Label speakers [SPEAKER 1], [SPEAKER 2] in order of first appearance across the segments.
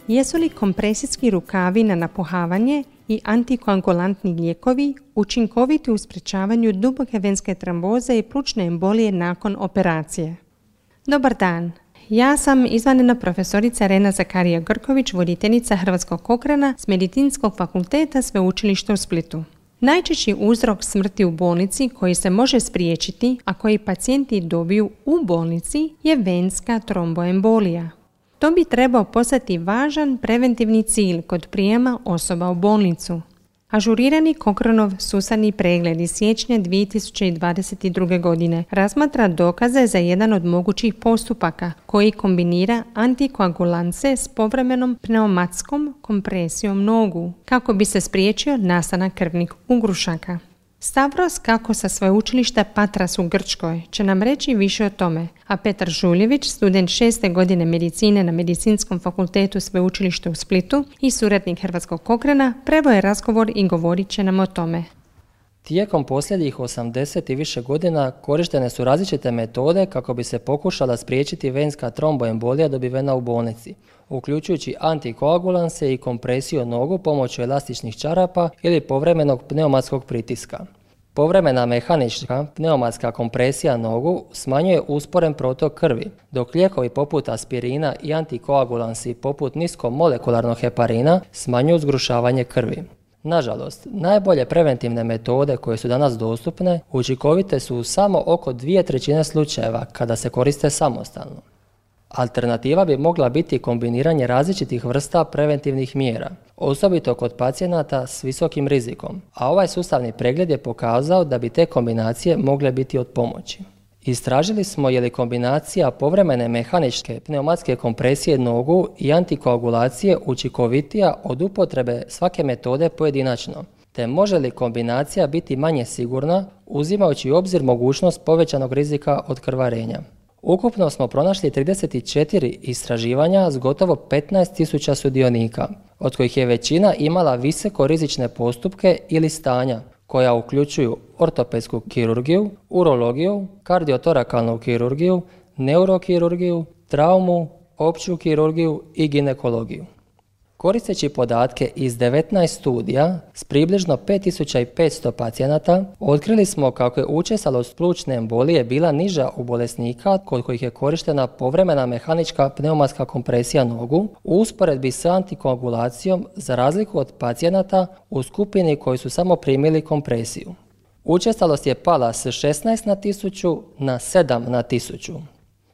[SPEAKER 1] Jesu li kompresijski rukavi na napuhavanje i antikoagulantni lijekovi učinkoviti u sprječavanju duboke venske tromboze i plućne embolije nakon operacije? Dobar dan, ja sam izvanredna profesorica Rena Zakarija-Grković, voditeljica Hrvatskog Cochrana s Medicinskog fakulteta Sveučilišta u Splitu. Najčešći uzrok smrti u bolnici koji se može spriječiti, a koji pacijenti dobiju u bolnici, je venska tromboembolija. To bi trebao postati važan preventivni cilj kod prijema osoba u bolnicu. Ažurirani Cochranov sustavni pregled iz siječnja 2022. godine razmatra dokaze za jedan od mogućih postupaka koji kombinira antikoagulance s povremenom pneumatskom kompresijom nogu kako bi se spriječio nastanak krvnih ugrušaka. Stavros Kako sa sveučilišta Patras u Grčkoj će nam reći više o tome, a Petar Žuljević, student 6. godine medicine na Medicinskom fakultetu Sveučilišta u Splitu i suradnik Hrvatskog Cochrana, preveo je razgovor i govorit će nam o tome.
[SPEAKER 2] Tijekom posljednjih 80 i više godina korištene su različite metode kako bi se pokušala spriječiti venska tromboembolija dobivena u bolnici, uključujući antikoagulanse i kompresiju nogu pomoću elastičnih čarapa ili povremenog pneumatskog pritiska. Povremena mehanička pneumatska kompresija nogu smanjuje usporen protok krvi, dok lijekovi poput aspirina i antikoagulansi poput niskomolekularnog heparina smanjuju zgrušavanje krvi. Nažalost, najbolje preventivne metode koje su danas dostupne učinkovite su u samo oko 2/3 slučajeva kada se koriste samostalno. Alternativa bi mogla biti kombiniranje različitih vrsta preventivnih mjera, osobito kod pacijenata s visokim rizikom, a ovaj sustavni pregled je pokazao da bi te kombinacije mogle biti od pomoći. Istražili smo je li kombinacija povremene mehaničke pneumatske kompresije nogu i antikoagulacije učinkovitija od upotrebe svake metode pojedinačno, te može li kombinacija biti manje sigurna uzimajući u obzir mogućnost povećanog rizika od krvarenja. Ukupno smo pronašli 34 istraživanja s gotovo 15.000 sudionika, od kojih je većina imala visoko rizične postupke ili stanja koja uključuju ortopedsku kirurgiju, urologiju, kardiotorakalnu kirurgiju, neurokirurgiju, traumu, opću kirurgiju i ginekologiju. Koristeći podatke iz 19 studija s približno 5500 pacijenata, otkrili smo kako je učestalost plućne embolije bila niža u bolesnika kod kojih je korištena povremena mehanička pneumatska kompresija nogu u usporedbi s antikoagulacijom za razliku od pacijenata u skupini koji su samo primili kompresiju. Učestalost je pala s 16 na 1000 na 7 na 1000.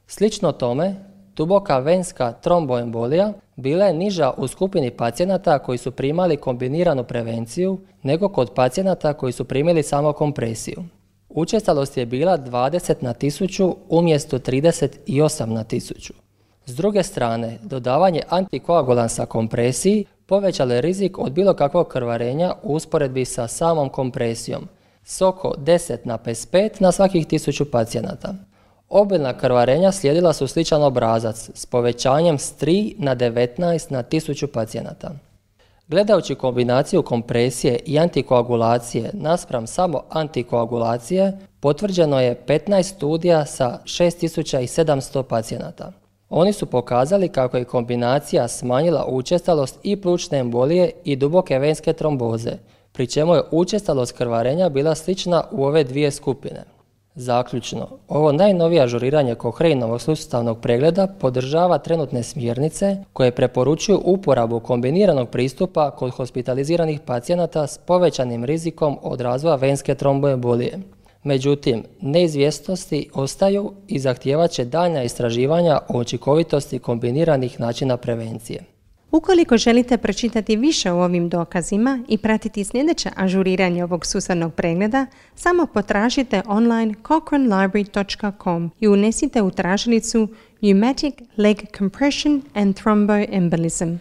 [SPEAKER 2] Slično tome, duboka venska tromboembolija bila je niža u skupini pacijenata koji su primali kombiniranu prevenciju nego kod pacijenata koji su primili samo kompresiju. Učestalost je bila 20 na 1000 umjesto 38 na 1000. S druge strane, dodavanje antikoagulansa kompresiji povećalo je rizik od bilo kakvog krvarenja u usporedbi sa samom kompresijom, s oko 10 na 55 na svakih 1000 pacijenata. Obilna krvarenja slijedila su sličan obrazac s povećanjem s 3 na 19 na 1000 pacijenata. Gledajući kombinaciju kompresije i antikoagulacije naspram samo antikoagulacije, potvrđeno je 15 studija sa 6700 pacijenata. Oni su pokazali kako je kombinacija smanjila učestalost i plućne embolije i duboke venske tromboze, pri čemu je učestalost krvarenja bila slična u ove dvije skupine. Zaključno, ovo najnovije ažuriranje Cochranovog sustavnog pregleda podržava trenutne smjernice koje preporučuju uporabu kombiniranog pristupa kod hospitaliziranih pacijenata s povećanim rizikom od razvoja venske tromboembolije. Međutim, neizvjesnosti ostaju i zahtijevat će daljnja istraživanja o učinkovitosti kombiniranih načina prevencije.
[SPEAKER 1] Ukoliko želite pročitati više o ovim dokazima i pratiti sljedeće ažuriranje ovog sustavnog pregleda, samo potražite online cochranelibrary.com i unesite u tražilicu Pneumatic Leg Compression and Thromboembolism.